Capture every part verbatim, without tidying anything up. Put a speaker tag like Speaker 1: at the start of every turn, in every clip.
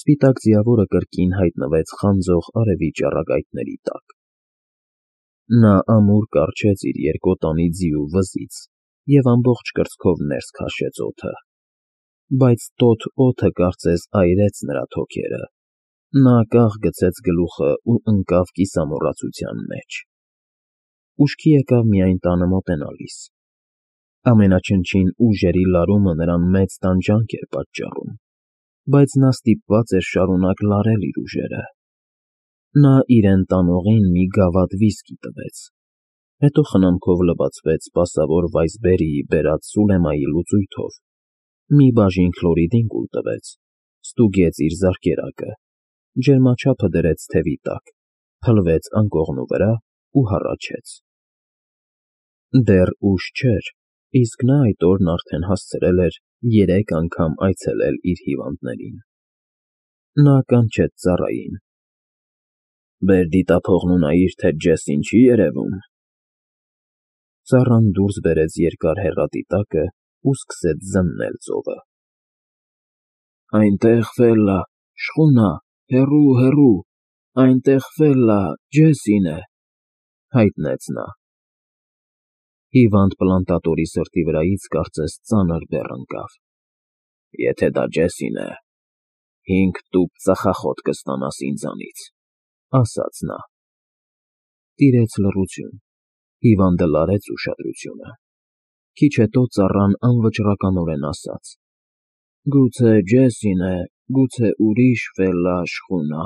Speaker 1: Սպիտակ ձիավորը կրկին հայտնվեց խանձող արևի ճառագայթների տակ։ Նա ամուր կառչեց իր երկոտանի ձիու վզից և ամբողջ կրծքով ներս քաշեց օդը, բայց տոթ օդը կարծես այրեց նրա թոքերը։ Նա կաղ գցեց գլուխն ու ընկավ կիսամոռացության մեջ։ Ուշքի եկավ միայն տանը մոտենալիս։ Ամենաչնչին ուժերի լարումը նրան մեծ տանջանք էր պատճառում, բայց նա ստիպված էր շարունակ լարել իր ուժերը։ Նա իրեն տանողին մի գավաթ վիսկի տվեց, հետո խնամքով լվացվեց սպասավոր Վայսբերիի բերած Սուլեմայի լուծույթով, մի բաժին քլորիդին կուլ տվեց, ստուգեց իր զարկերակը, ջերմաչափը դրեց թևի տակ, փլվեց անկողնու վրա ու հառաչեց։ Դեռ ուշ չէր, իսկ նա այդ օրն արդեն հասցրել էր երեք անգամ այցելել իր հիվանդներին։ Նա կանչեց ծառային. «Բեր դիտափողն ու նայիր, թե Ջեսին չի երևում»։ Ծառան դուրս բերեց երկար հեռադիտակը ու սկսեց զննել ծովը։ «Այնտեղ Ֆելլա, շխունա, հեռու, հեռու, այնտեղ Ֆելլա, Ջեսին է», հայտնեց նա։ Հիվանդ պլանտատորի սրտի վրայից կարծես ծանր բեռ ընկավ։ «Եթե դա Ջեսին է, հինգ տուփ ծխախոտ կստանաս ինձանից», ասաց նա։ Տիրեց լռություն, հիվանդը լարեց ուշադրությունը։ Քիչ հետո ծառան անվճռականորեն ասաց. «Գուցե Ջեսին է, գուցե ուրիշ Ֆելլա, շխունա»։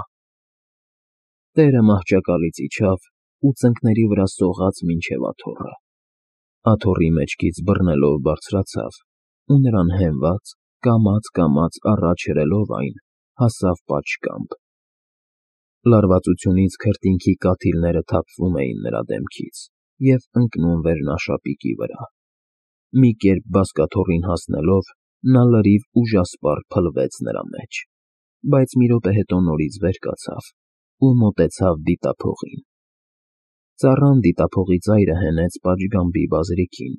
Speaker 1: Տերը մահճակալից իջավ ու ծնկների վրա սողաց մինչև աթոռը։ Աթոռի մեջքից բռնելով բարձրացավ ու նրան հենված, կամաց֊կամաց առաջ հրելով այն, հասավ պատշգամբ։ Լարվածությունից քրտինքի կաթիլները թափվում էին նրա դեմքից և ընկնում վերնաշապիկի վրա։ Մի կերպ բազկաթոռին հասնելով, նա լրիվ ուժասպառ փլվեց նրա մեջ, բայց մի րոպե հետո նորից վեր կացավ ու մոտեցավ դիտափողին։ Ծառան դիտափողի ծայրը հենեց պատշգամբի բազրիքին,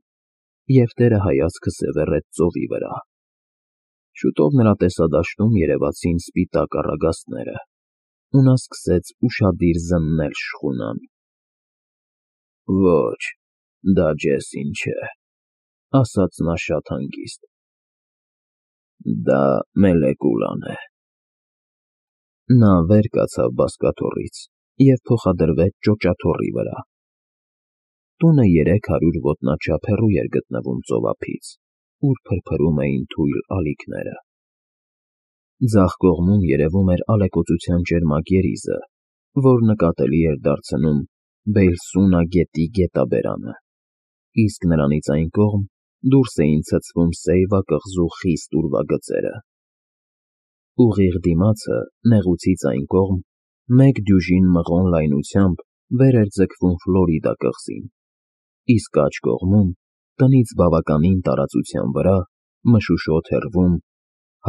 Speaker 1: և տերը հայացքը սևեռեց ծովի վրա։ Շուտով նրա տեսադաշտում երևացին սպիտակ առագաստները, ու նա սկսեց ուշադիր զննել շխունան։ «Ոչ, դա Ջեսին չէ», ասաց նա շատ հանգիստ։ «Դա Մելեկուլան է»։ Նա վեր կացավ բազկաթոռից և փոխադրվեց ճոճաթոռի վրա։ Տունը երեք հարյուր ոտնաչափ հեռու էր գտնվում ծովափից, ուր փրփրում էին թույլ ալիքները։ Ձախ կողմում երևում էր ալեկոծության ճերմակ երիզը, որ նկատելի էր դարձնում Բեյլսունա գետի գետաբերանը, իսկ նրանից այն կողմ դուրս էին ցցվում Սեյվա կղզու խիստ ուրվագծերը։ Ուղիղ դիմացը, նեղուցից այն կողմ, մեկ դյուժին մղոն լայնությամբ վեր էր ձգվում Ֆլորիդա կղզին, իսկ աջ կողմում, տնից բավականին տարածության վրա, մշուշոտ հեռվում,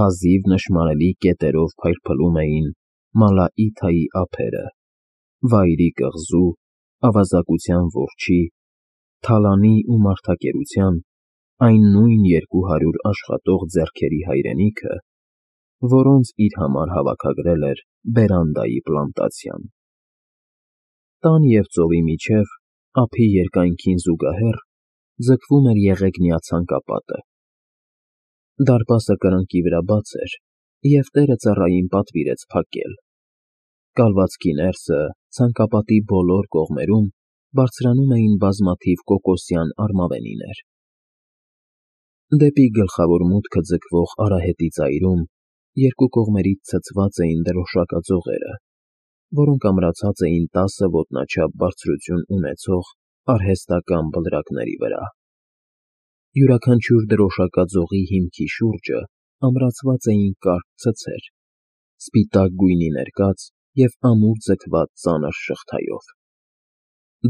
Speaker 1: հազիվ նշմարելի կետերով փայլփլում էին Մալաիթայի ափերը, Վայրի կղզու, ավազակության որջի, Թալանի ու մարդակերության, այն նույն երկու հարյուր աշխատող ձեռքերի հայրենիքը, որոնց իր համար հավաքագրել էր բերանդայի պլանտացիան։ Տան և ծովի միջև, ափի երկայնքին զուգահեռ, ձգվում էր եղեգնյա ցանկապատը։ Դարպասը կրկնակի վրա բաց էր, և տերը ծառային պատվիրեց փակել։ Կալվածքի ներսը, ցանկապատի բոլոր կողմերում բարձրանում էին բազմաթիվ կոկոսյան արմավենիներ։ Դեպի գլխավոր մուտքը ձգվող արահետի ծայրում երկու կողմերից ցցված էին դրոշակաձողերը, որոնք ամրացած էին տասը ոտնաչափ բարձրություն ունեցող արհեստական բլրակների վրա։ Յուրաքանչյուր դրոշակաձողի հիմքի շուրջը ամրացված էին կարճ ցցեր, սպիտակ գույնի ներկած և ամուր ձգված ծանր շղթայով։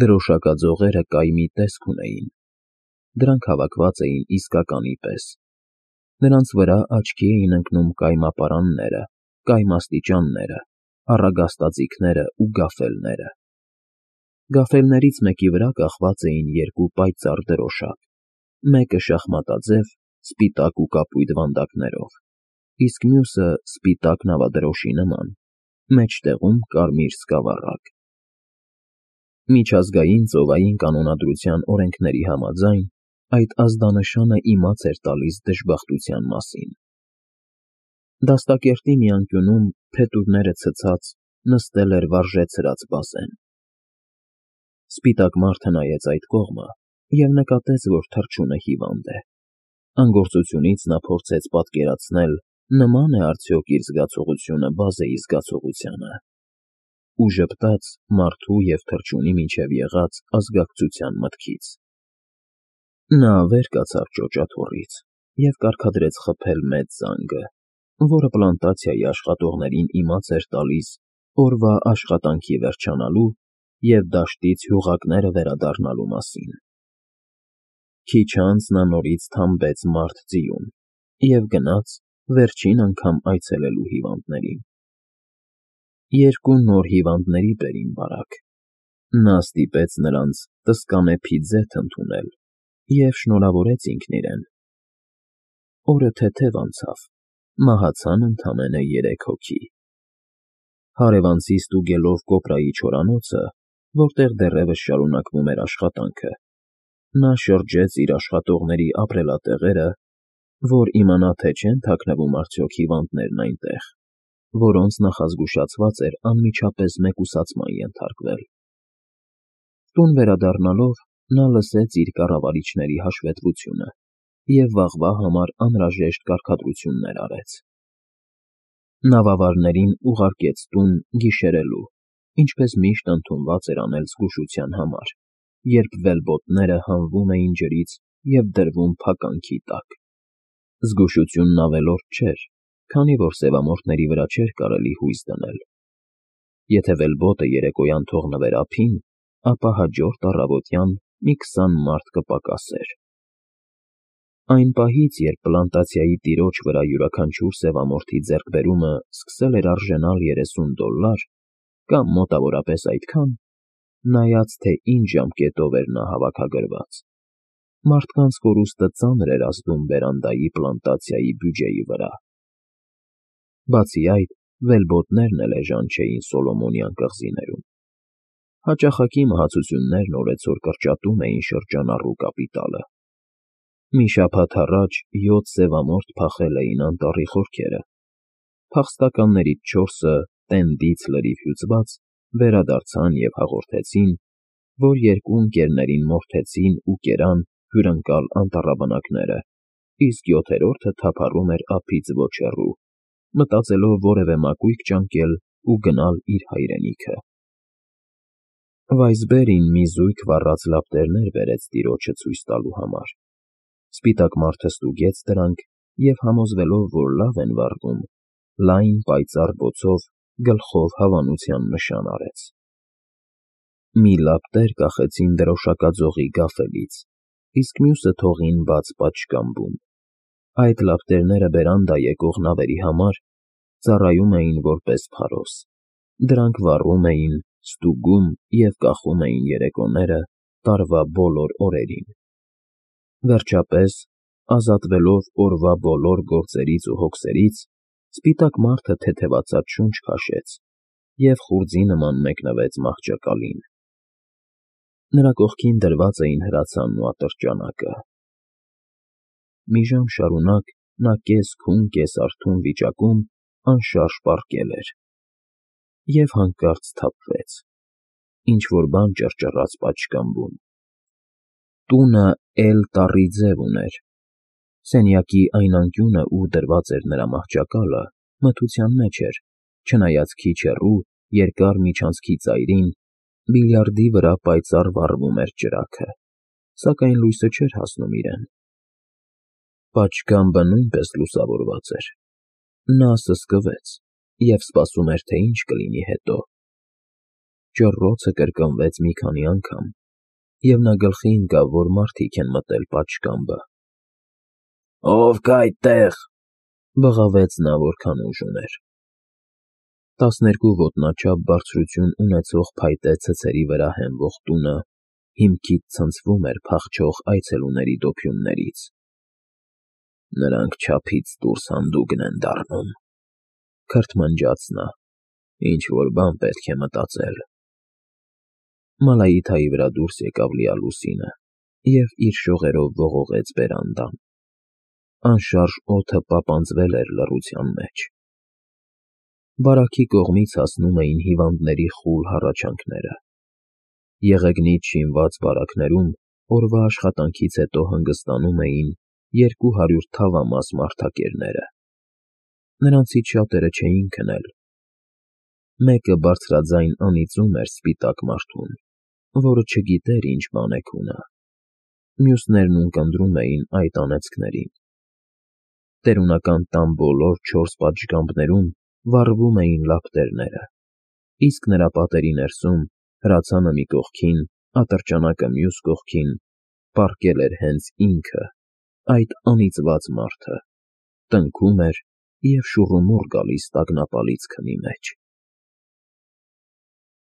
Speaker 1: Դրոշակաձողերը կայմի տեսք ունեին։ Դրանք հավաքված էին իսկականի պես։ Նրանց վրա աչքի էին ընկնում կայմապարանները, կայմաստիճանները, առագաստաձիգները ու գաֆելները։ Գաֆելներից մեկի վրա կախված էին երկու պայծառ դրոշակ, մեկը շախմատաձև, սպիտակ ու կապույտ վանդակներով, իսկ մյուսը սպիտակ նավադրոշի նման, մեջտեղում կարմիր սկավառակ։ Միջազգային ծովային կանոնադրության օրենքների համաձայն, այդ ազդանշանը իմաց էր տալիս դժբախտության մասին։ Դաստակերտի մի անկյունում, փետուրները ցցած, նստել էր վարժեցրած բազեն։ Սպիտակ մարդը նայեց այդ կողմը և նկատեց, որ թռչունը հիվանդ է։ Անգործությունից նա փորձեց պատկերացնել, նմա՞ն է արդյոք իր զգացողությունը բազեի զգացողությանը, ու ժպտաց մարդու և թռչունի միջև եղած ազգակցության մտքից։ Նա վեր կացավ ճոճաթոռից և կարգադրեց խփել մեծ զանգը, որը պլանտացիայի աշխատողներին իմաց էր տալիս օրվա աշխատանքի վերջանալու և դաշտից հյուղակները վերադառնալու մասին։ Քիչ անց նա նորից թամբեց մարդ֊ձիուն և գնաց վերջին անգամ այցելելու հիվանդներին։ Երկու նոր հիվանդների բերին բարակ։ Նա ստիպեց նրանց տսկանե փիձեթ ընդունել և շնորհավորեց ինքն իրեն։ Օրը թեթև անցավ, մահացան ընդամենը երեք հոգի։ Հարևանցի ստուգելով կոպրայի չորանոցը, որտեղ դեռևս շարունակվում էր աշխատանքը, նա շրջեց իր աշխատողների ապրելատեղերը, որ իմանա, թե չեն թաքնվում արդյոք հիվանդներն այնտեղ, որոնց նախազգուշացված էր անմիջապես մեկուսացման ենթարկվել։ Տուն վերադառնալով նա լսեց իր կառավարիչների հաշվետվությունը և վաղվա համար անհրաժեշտ կարգադրություններ արեց։ Նավավարներին ուղարկեց տուն գիշերելու, ինչպես միշտ ընդունված էր անել զգուշության համար, երբ վելբոտները հանվում էին ջրից և դրվում փականքի տակ։ Զգուշությունն ավելորդ չէր, քանի որ սևամորթների վրա չէր կարելի հույս դնել։ Եթե վելբոտը երեկոյան թողնվեր ափին, ապա հաջորդ առավոտյան մի քսան մարդ կպակասեր։ Այն պահից, երբ պլանտացիայի տիրոջ վրա յուրաքանչյուր սևամորթի ձեռքբերումը սկսել էր արժենալ երեսուն դոլլար, կամ մոտավորապես այդքան, նայած, թե ինչ ժամկետով էր նա հավաքագրված, մարդկանց կորուստը ծանր էր ազդում բերանդայի պլանտացիայի բյուջեի վրա։ Բացի այդ, վելբոտներն էլ էժան չէին Սոլոմոնյան կղզիներում։ Հաճախակի մահացություններն օրեցօր կրճատում էին շրջանառու կապիտալը։ Մի շաբաթ առաջ յոթ սևամորթ փախել էին անտառի խորքերը։ Փախստականներից չորսը, տենդից լրիվ հյուծված, վերադարձան և հաղորդեցին, որ երկու ընկերներին մորթեցին ու կերան հյուրընկալ անտառաբնակները, իսկ յոթերորդը թափառում էր ափից ոչ հեռու, մտածելով որևէ մակույկ ճանկել ու գնալ իր հայրենիքը։ Վայսբերին մի զույգ վառած լապտերներ բերեց տիրոջը ցույց տալու համար։ Սպիտակ մարդը ստուգեց դրանք և, համոզվելով, որ լավ են վառվում, լայն, պայծառ բոցով գլխով հավանության նշան արեց։ Մի լապտեր կախեցին դրոշակաձողի գաֆելից, իսկ մյուսը թողին բաց պատշգամբում։ Այդ լապտերները բերանդա եկող նավերի համար ծառայում էին որպես փարոս։ Դրանք վառում էին, ստուգում և կախում էին երեկոները տարվա բոլոր օրերին։ Վերջապես, ազատվելով օրվա բոլոր գործերից ու հոգսերից, սպիտակ մարդը թեթևացած շունչ քաշեց և խուრძի նման մեկնվեց մահճակալին։ Նրա կողքին դրված էին հրացանն ու ատրճանակը։ Մի ժամ շարունակ նա կես֊քուն, կես֊արթուն վիճակում անշարժ պառկել էր և հանկարծ սթափվեց, ինչ֊որ բան ճռճռաց պատշգամբում։ Տունը էլ֊տառի ձև ուներ։ Սենյակի այն անկյունը, ուր դրված էր նրա մահճակալը, մթության մեջ էր, չնայած քիչ հեռու, երկար միջանցքի ծայրին, բիլիարդի վրա պայծառ վառվում էր ճրագը, սակայն լույսը չէր հասնում իրեն։ Պատշգամբը նույնպես լուսավորված էր։ Նա սսկվեց և սպասում էր, թե ինչ կլինի հետո։ Ճռռոցը կրկնվեց մի քանի անգամ, և նա գլխի ընկավ, որ մարդիկ են մտել պատշգամբը։ «Ո՞վ կա այդտեղ», ֊ բղավեց նա, որքան ուժ ուներ։ Տասներկու ոտնաչափ բարձրություն ունեցող փայտե ցցերի վրա հենվող տունը հիմքից ցնցվում էր փախչող այցելուների դոփյուններից։ Նրանք չափից դուրս հանդուգն են դառնում,֊ քրթմնջաց նա։֊ Ինչ֊որ բան պետք է մտածել… Մալայիթայի վրա դուրս եկավ լիալուսինը և իր շողերով ողողեց բերանդան. անշարժ օդը պապանձվել էր լռության մեջ… Բարակի կողմից հասնում էին հիվանդների խուլ հառաչանքները… Եղեգնից շինված բարակներում օրվա աշխատանքից հետո հանգստանում էին երկու հարյուր թավամաս մարդակերները… Նրանցից շատերը չէին քնել… Մեկը բարձրաձայն անիծում էր սպիտակ մարդուն, որը չգիտեր ինչ բան է քունը… Մյուսներն ունկնդրում էին այդ անեծքներին… Տերունական տան բոլոր չորս պատշգամբներում վառվում էին լապտերները, իսկ նրա պատերի ներսում, հրացանը մի կողքին, ատրճանակը մյուս կողքին, պառկել էր հենց ինքը, այդ անիծված մարդը, տնքում էր և շուռումուռ գալիս տագնապալից քնի մեջ…